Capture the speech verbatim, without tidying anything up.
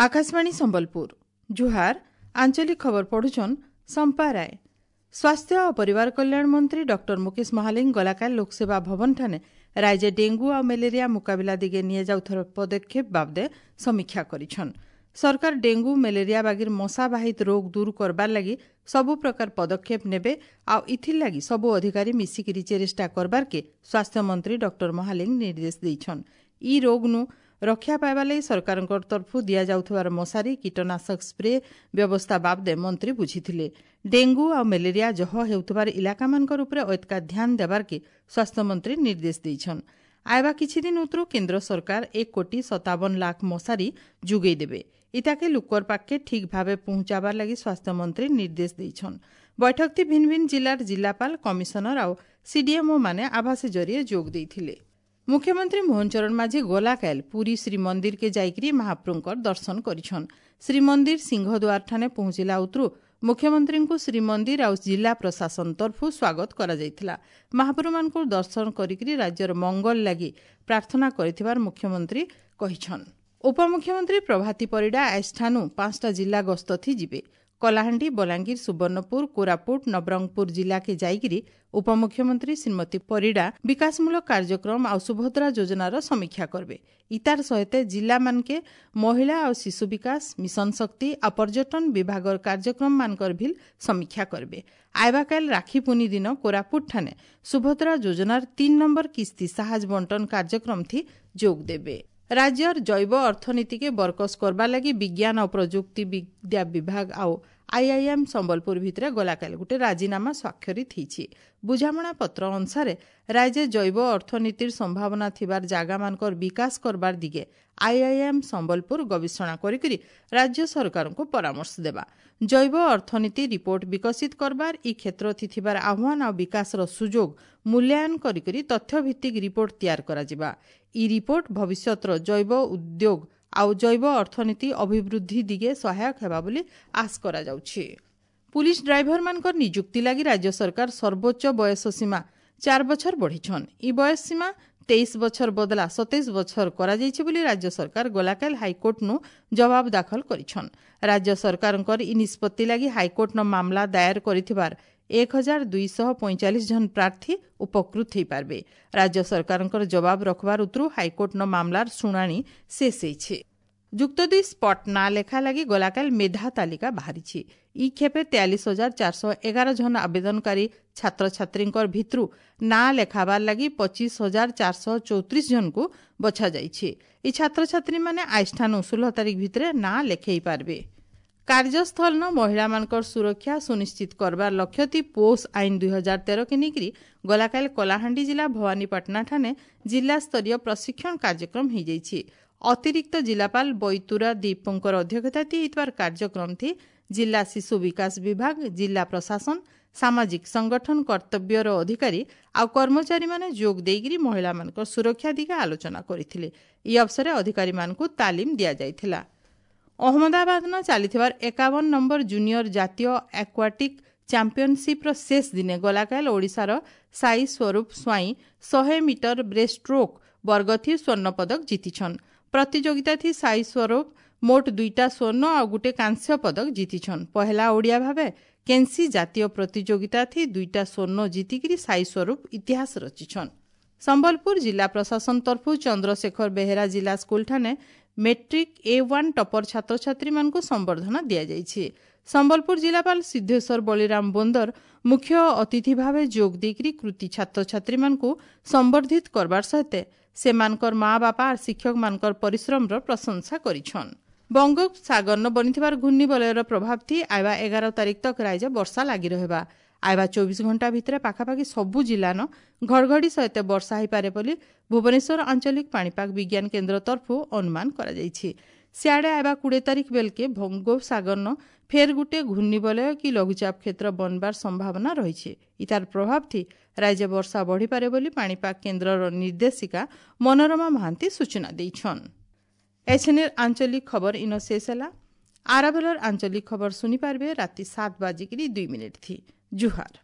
ଆକାଶବାଣୀ ସମ୍ବଲପୁର ଜୁହାର ଆଞ୍ଚଳିକ ଖବର ପଢୁଛନ୍ ସମ୍ପା ରାୟ ସ୍ୱାସ୍ଥ୍ୟ ଓ ପରିବାର କଲ୍ୟାଣ ମନ୍ତ୍ରୀ ଡକ୍ଟର ମୁକେଶ ମହାଲିଙ୍ଗ ଗଲାକାଲି ଲୋକସେବା ଭବନଠାନେ ରାଜ୍ୟ ଡେଙ୍ଗୁ ଆଉ ମ୍ୟାଲେରିଆ ମୁକାବିଲା ଦିଗେ ନିଆଯାଉଥିବା ପଦକ୍ଷେପ ବାବଦେ ସମୀକ୍ଷା କରିଛନ୍ ସରକାର ଡେଙ୍ଗୁ ମ୍ୟାଲେରିଆ ବାଗିର ମଶାବାହିତ ରୋଗ ଦୂର କରବାର ଲାଗି ସବୁ ପ୍ରକାର ପଦକ୍ଷେପ ନେବେ ଆଉ ଇଥିର୍ ଲାଗି ସବୁ ଅଧିକାରୀ ମିଶିକିରି ଚେଷ୍ଟା କରବାର୍କେ ସ୍ୱାସ୍ଥ୍ୟମନ୍ତ୍ରୀ ଡକ୍ଟର ମହାଲିଙ୍ଗ ନିର୍ଦ୍ଦେଶ ଦେଇଛନ୍ ଇ ରୋଗନୁ ରକ୍ଷା ପାଇବା ଲାଗି ସରକାରଙ୍କ ତରଫରୁ ଦିଆଯାଉଥିବାର ମଶାରୀ କୀଟନାଶକ ସ୍ପ୍ରେ ବ୍ୟବସ୍ଥା ବାବଦେ ମନ୍ତ୍ରୀ ବୁଝିଥିଲେ ଡେଙ୍ଗୁ ଆଉ ମ୍ୟାଲେରିଆ ଜହ ହେଉଥିବାର ଇଲାକାମାନଙ୍କର ଉପରେ ଅଏତକା ଧ୍ୟାନ ଦେବାର୍କେ ସ୍ୱାସ୍ଥ୍ୟମନ୍ତ୍ରୀ ନିର୍ଦ୍ଦେଶ ଦେଇଛନ୍ ଆଇବା କିଛିଦିନ ଉତରୁ କେନ୍ଦ୍ର ସରକାର ଏକ କୋଟି ସତାବନ ଲାଖ ମଶାରୀ ଯୋଗାଇ ଦେବେ ଇତାକେ ଲୁକର ପାଖକେ ଠିକ୍ ଭାବେ ପହଞ୍ଚାବାର ଲାଗି ସ୍ୱାସ୍ଥ୍ୟମନ୍ତ୍ରୀ ନିର୍ଦ୍ଦେଶ ଦେଇଛନ୍ ବୈଠକଟି ଭିନ୍ନ ଭିନ୍ନ ଜିଲ୍ଲାର ଜିଲ୍ଲାପାଳ କମିଶନର ଆଉ ସିଡିଏମ୍ଓ ମାନେ ଆଭାସୀ ଜରିଏ ଯୋଗ ଦେଇଥିଲେ ମୁଖ୍ୟମନ୍ତ୍ରୀ ମୋହନ ଚରଣ ମାଝୀ ଗଲାକାଲ ପୁରୀ ଶ୍ରୀମନ୍ଦିରକେ ଯାଇକରି ମହାପ୍ରଭୁଙ୍କର ଦର୍ଶନ କରିଛନ୍ ଶ୍ରୀମନ୍ଦିର ସିଂହଦ୍ୱାରଠାନେ ପହଞ୍ଚିଲା ଉତରୁ ମୁଖ୍ୟମନ୍ତ୍ରୀଙ୍କୁ ଶ୍ରୀମନ୍ଦିର ଆଉ ଜିଲ୍ଲା ପ୍ରଶାସନ ତରଫରୁ ସ୍ୱାଗତ କରାଯାଇଥିଲା ମହାପ୍ରଭୁମାନଙ୍କୁ ଦର୍ଶନ କରିକରି ରାଜ୍ୟର ମଙ୍ଗଳ ଲାଗି ପ୍ରାର୍ଥନା କରିଥିବାର ମୁଖ୍ୟମନ୍ତ୍ରୀ କହିଛନ୍ ଉପମୁଖ୍ୟମନ୍ତ୍ରୀ ପ୍ରଭାତୀ ପରିଡ଼ା ଆଜିଠାନୁ ପାଞ୍ଚଟା ଜିଲ୍ଲା ଗସ୍ତ ଥି ଯିବେ କଳାହାଣ୍ଡି ବଲାଙ୍ଗୀର ସୁବର୍ଣ୍ଣପୁର କୋରାପୁଟ ନବରଙ୍ଗପୁର ଜିଲ୍ଲାକେ ଯାଇକରି ଉପମୁଖ୍ୟମନ୍ତ୍ରୀ ଶ୍ରୀମତୀ ପରିଡ଼ା ବିକାଶମୂଳକ କାର୍ଯ୍ୟକ୍ରମ ଆଉ ସୁଭଦ୍ରା ଯୋଜନାର ସମୀକ୍ଷା କରିବେ ଇତାର ସହିତ ଜିଲ୍ଲାମାନକେ ମହିଳା ଆଉ ଶିଶୁ ବିକାଶ ମିଶନ ଶକ୍ତି ଆଉ ପର୍ଯ୍ୟଟନ ବିଭାଗର କାର୍ଯ୍ୟକ୍ରମମାନଙ୍କର ଭିଲ୍ ସମୀକ୍ଷା କରିବେ ଆଇବାକାଲ ରାକ୍ଷୀ ପୁନି ଦିନ କୋରାପୁଟଠାନେ ସୁଭଦ୍ରା ଯୋଜନାର ତିନି ନମ୍ବର କିସ୍ତି ସାହାଯ୍ୟ ବଣ୍ଟନ କାର୍ଯ୍ୟକ୍ରମ ଥି ଯୋଗ ଦେବେ ରାଜ୍ୟର ଜୈବ ଅର୍ଥନୀତିକେ ବରକସ କରବା ଲାଗି ବିଜ୍ଞାନ ଓ ପ୍ରଯୁକ୍ତି ବିଦ୍ୟା ବିଭାଗ ଆଉ ଆଇଆଇଏମ୍ ସମ୍ବଲପୁର ଭିତରେ ଗଲାକାଲି ଗୋଟେ ରାଜିନାମା ସ୍ୱାକ୍ଷରିତ ହେଇଛି ବୁଝାମଣା ପତ୍ର ଅନୁସାରେ ରାଜ୍ୟ ଜୈବ ଅର୍ଥନୀତିର ସମ୍ଭାବନା ଥିବାର ଜାଗାମାନଙ୍କର ବିକାଶ କରବାର ଦିଗେ ଆଇଆଇଏମ୍ ସମ୍ବଲପୁର ଗବେଷଣା କରିକରି ରାଜ୍ୟ ସରକାରଙ୍କୁ ପରାମର୍ଶ ଦେବା ଜୈବ ଅର୍ଥନୀତି ରିପୋର୍ଟ ବିକଶିତ କରବାର ଇ କ୍ଷେତ୍ର ଥିବାର ଆହ୍ୱାନ ଆଉ ବିକାଶର ସୁଯୋଗ ମୂଲ୍ୟାୟନ କରିକରି ତଥ୍ୟଭିତ୍ତିକ ରିପୋର୍ଟ ତିଆର କରାଯିବା ଇ ରିପୋର୍ଟ ଭବିଷ୍ୟତର ଜୈବ ଉଦ୍ୟୋଗ ଆଉ ଜୈବ ଅର୍ଥନୀତି ଅଭିବୃଦ୍ଧି ଦିଗେ ସହାୟକ ହେବା ବୋଲି ଆଶ କରାଯାଉଛି ପୁଲିସ ଡ୍ରାଇଭରମାନଙ୍କର ନିଯୁକ୍ତି ଲାଗି ରାଜ୍ୟ ସରକାର ସର୍ବୋଚ୍ଚ ବୟସ ସୀମା ଚାର ବଛର ବଢ଼ିଛନ୍ ଇ ବୟସ ସୀମା ତେଇଶ ବଛର ବଦଲା ସତେଇଶ ବଛର କରାଯାଇଛି ବୋଲି ରାଜ୍ୟ ସରକାର ଗଲାକାଲ ହାଇକୋର୍ଟନୁ ଜବାବ ଦାଖଲ କରିଛନ୍ ରାଜ୍ୟ ସରକାରଙ୍କର ଇ ନିଷ୍ପତ୍ତି ଲାଗି ହାଇକୋର୍ଟନ ମାମଲା ଦାୟର କରିଥିବାର ଏକ ହଜାର ଦୁଇଶହ ପଇଁଚାଳିଶ ଜଣ ପ୍ରାର୍ଥୀ ଉପକୃତ ହୋଇପାରିବେ ରାଜ୍ୟ ସରକାରଙ୍କର ଜବାବ ରଖବାର ଉତରୁ ହାଇକୋର୍ଟନ ମାମଲାର ଶୁଣାଣି ଶେଷ ହେଇଛି ଯୁକ୍ତ ଦୁଇ ସ୍ପଟ୍ ନାଁ ଲେଖା ଲାଗି ଗଲାକାଲ ମେଧା ତାଲିକା ବାହାରିଛି ଇ ଖେପେ ତେୟାଳିଶ ହଜାର ଚାରିଶହ ଏଗାର ଜଣ ଆବେଦନକାରୀ ଛାତ୍ରଛାତ୍ରୀଙ୍କର ଭିତରୁ ନାଁ ଲେଖାବାର ଲାଗି ପଚିଶ ହଜାର ଚାରିଶହ ଚଉତିରିଶ ଜଣଙ୍କୁ ବଛାଯାଇଛି ଇ ଛାତ୍ରଛାତ୍ରୀମାନେ ଆଜିଠାନୁ ଷୋହଳ ତାରିଖ ଭିତରେ ନାଁ ଲେଖେଇ ପାରିବେ କାର୍ଯ୍ୟସ୍ଥଳନ ମହିଳାମାନଙ୍କର ସୁରକ୍ଷା ସୁନିଶ୍ଚିତ କରବାର ଲକ୍ଷ୍ୟତି ପୋଷ ଆଇନ ଦୁଇ ହଜାର ତେରକେ ନେଇକରି ଗଲାକାଲି କଳାହାଣ୍ଡି ଜିଲ୍ଲା ଭବାନୀପାଟଣାଠାନେ ଜିଲ୍ଲାସ୍ତରୀୟ ପ୍ରଶିକ୍ଷଣ କାର୍ଯ୍ୟକ୍ରମ ହୋଇଯାଇଛି ଅତିରିକ୍ତ ଜିଲ୍ଲାପାଳ ବୈତୁରା ଦୀପଙ୍କର ଅଧ୍ୟକ୍ଷତାତି ହେଇଥିବାର କାର୍ଯ୍ୟକ୍ରମଥି ଜିଲ୍ଲା ଶିଶୁ ବିକାଶ ବିଭାଗ ଜିଲ୍ଲା ପ୍ରଶାସନ ସାମାଜିକ ସଂଗଠନ କର୍ତ୍ତବ୍ୟର ଅଧିକାରୀ ଆଉ କର୍ମଚାରୀମାନେ ଯୋଗ ଦେଇକରି ମହିଳାମାନଙ୍କ ସୁରକ୍ଷା ଦିଗେ ଆଲୋଚନା କରିଥିଲେ ଏହି ଅବସରରେ ଅଧିକାରୀମାନଙ୍କୁ ତାଲିମ ଦିଆଯାଇଥିଲା ଅହମ୍ମଦାବାଦନ ଚାଲିଥିବାର ଏକାବନ ନମ୍ବର ଜୁନିୟର ଜାତୀୟ ଆକ୍ୱାଟିକ୍ ଚାମ୍ପିଅନସିପ୍ର ଶେଷ ଦିନେ ଗଲାକାଲ ଓଡ଼ିଶାର ସାଇ ସ୍ୱରୂପ ସ୍ୱାଇଁ ଶହେ ମିଟର ବ୍ରେଷ୍ଟ ଷ୍ଟ୍ରୋକ୍ ବର୍ଗଥି ସ୍ୱର୍ଣ୍ଣପଦକ ଜିତିଛନ୍ ପ୍ରତିଯୋଗିତାଥି ସାଇ ସ୍ୱରୂପ ମୋଟ ଦୁଇଟା ସ୍ୱର୍ଣ୍ଣ ଆଉ ଗୋଟେ କାଂସ୍ୟ ପଦକ ଜିତିଛନ୍ ପହେଲା ଓଡ଼ିଆ ଭାବେ କେନ୍ସି ଜାତୀୟ ପ୍ରତିଯୋଗିତାଥି ଦୁଇଟା ସ୍ୱର୍ଣ୍ଣ ଜିତିକିରି ସାଇ ସ୍ୱରୂପ ଇତିହାସ ରଚିଛନ୍ ସମ୍ବଲପୁର ଜିଲ୍ଲା ପ୍ରଶାସନ ତରଫରୁ ଚନ୍ଦ୍ରଶେଖର ବେହେରା ଜିଲ୍ଲା ସ୍କୁଲଠାନେ ମେଟ୍ରିକ୍ ଏ ୱାନ୍ ଟପର ଛାତ୍ରଛାତ୍ରୀମାନଙ୍କୁ ସମ୍ବର୍ଦ୍ଧନା ଦିଆଯାଇଛି ସମ୍ବଲପୁର ଜିଲ୍ଲାପାଳ ସିଦ୍ଧେଶ୍ୱର ବଳିରାମ ବୋନ୍ଦର ମୁଖ୍ୟ ଅତିଥି ଭାବେ ଯୋଗ ଦେଇକରି କୃତି ଛାତ୍ରଛାତ୍ରୀମାନଙ୍କୁ ସମ୍ବର୍ଦ୍ଧିତ କରବାର ସହିତ ସେମାନଙ୍କର ମା ବାପା ଆର୍ ଶିକ୍ଷକମାନଙ୍କର ପରିଶ୍ରମର ପ୍ରଶଂସା କରିଛନ୍ ବଙ୍ଗୋପସାଗରନ ବନିଥିବାର ଘୂର୍ଣ୍ଣିବଳୟର ପ୍ରଭାବ ଥି ଆଇବା ଏଗାର ତାରିଖ ତକ ରାଜ୍ୟ ବର୍ଷା ଲାଗି ରହିବା ଆଇବା ଚବିଶ ଘଣ୍ଟା ଭିତରେ ପାଖାପାଖି ସବୁ ଜିଲ୍ଲାନ ଘଡ଼ଘଡ଼ି ସହିତ ବର୍ଷା ହୋଇପାରେ ବୋଲି ଭୁବନେଶ୍ୱର ଆଞ୍ଚଳିକ ପାଣିପାଗ ବିଜ୍ଞାନ କେନ୍ଦ୍ର ତରଫରୁ ଅନୁମାନ କରାଯାଇଛି ସିଆଡ଼େ ଆଇବା କୋଡ଼ିଏ ତାରିଖ ବେଲକେ ବଙ୍ଗୋପସାଗରନ ଫେର୍ ଗୋଟେ ଘୂର୍ଣ୍ଣିବଳୟ କି ଲଘୁଚାପ କ୍ଷେତ୍ର ବନବାର ସମ୍ଭାବନା ରହିଛି ଇତାର ପ୍ରଭାବ ଥି ରାଜ୍ୟ ବର୍ଷା ବଢ଼ିପାରେ ବୋଲି ପାଣିପାଗ କେନ୍ଦ୍ରର ନିର୍ଦ୍ଦେଶିକା ମନୋରମା ମହାନ୍ତି ସୂଚନା ଦେଇଛନ୍ ଏଛେନେର ଆଞ୍ଚଳିକ ଖବର ଇନ ଶେଷ ହେଲା ଆରାବେଲର ଆଞ୍ଚଳିକ ଖବର ଶୁଣିପାରିବେ ରାତି ସାତ ବାଜିକିରି ଦୁଇ ମିନିଟ୍ ଥି ଜୁହାର।